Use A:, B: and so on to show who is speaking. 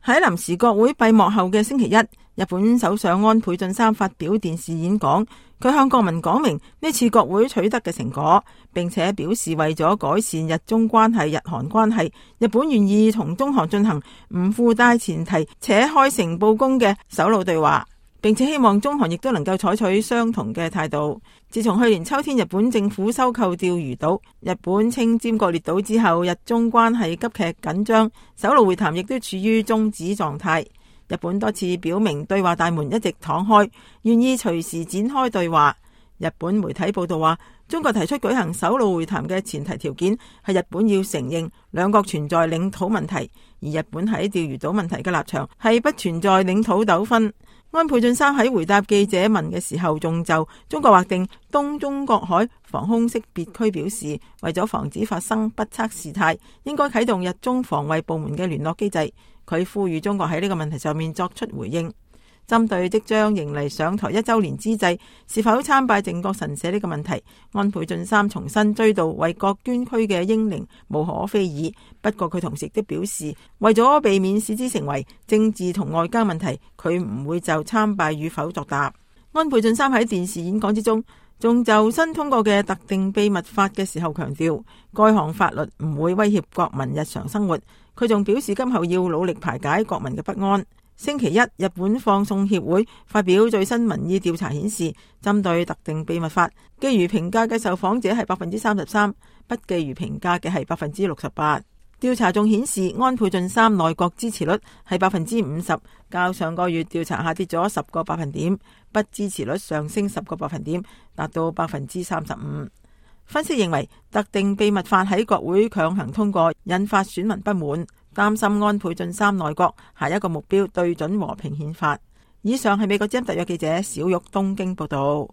A: 喺臨時國會閉幕後嘅星期一，日本首相安倍晉三發表電視演講，佢向國民講明呢次國會取得嘅成果，並且表示為咗改善日中關係、日韓關係，日本願意同中韓進行唔附帶前提且開誠布公嘅首腦對話，並且希望中韓亦都能夠採取相同嘅態度。自從去年秋天日本政府收購釣魚島、日本稱尖閣列島之後，日中關係急劇緊張，首腦會談亦都處於終止狀態。日本多次表明對話大門一直敞開，願意隨時展開對話。日本媒體報道話，中國提出舉行首腦會談嘅前提條件係日本要承認兩國存在領土問題，而日本喺釣魚島問題嘅立場係不存在領土糾紛。安倍晉三喺回答記者問嘅時候，仲就中國劃定東中國海防空識別區表示，為咗防止發生不測事態，應該啟動日中防衛部門嘅聯絡機制。佢呼籲中國喺呢個問題上面作出回應。針對即將迎嚟上台1週年之際，是否參拜靖國神社呢個問題，安倍晉三重新追悼為國捐軀嘅英靈無可非議。不過佢同時亦都表示，為咗避免使之成為政治同外交問題，佢唔會就參拜與否作答。安倍晉三喺電視演講之中，仲就新通過嘅特定秘密法嘅時候強調，該項法律唔會威脅國民日常生活。佢仲表示，今後要努力排解國民嘅不安。星期一，日本放送協會發表最新民意調查顯示，針對特定秘密法，寄予評價嘅受訪者係33%，不寄予評價嘅係68%。調查仲顯示，安倍晉三內閣支持率係50%，較上個月調查下跌咗10個百分點，不支持率上升10個百分點，達到35%。分析認為，特定秘密法喺國會強行通過，引發選民不滿，擔心安倍晉三內閣下一個目標對準和平憲法。以上係美國之音特約記者小玉東京報道。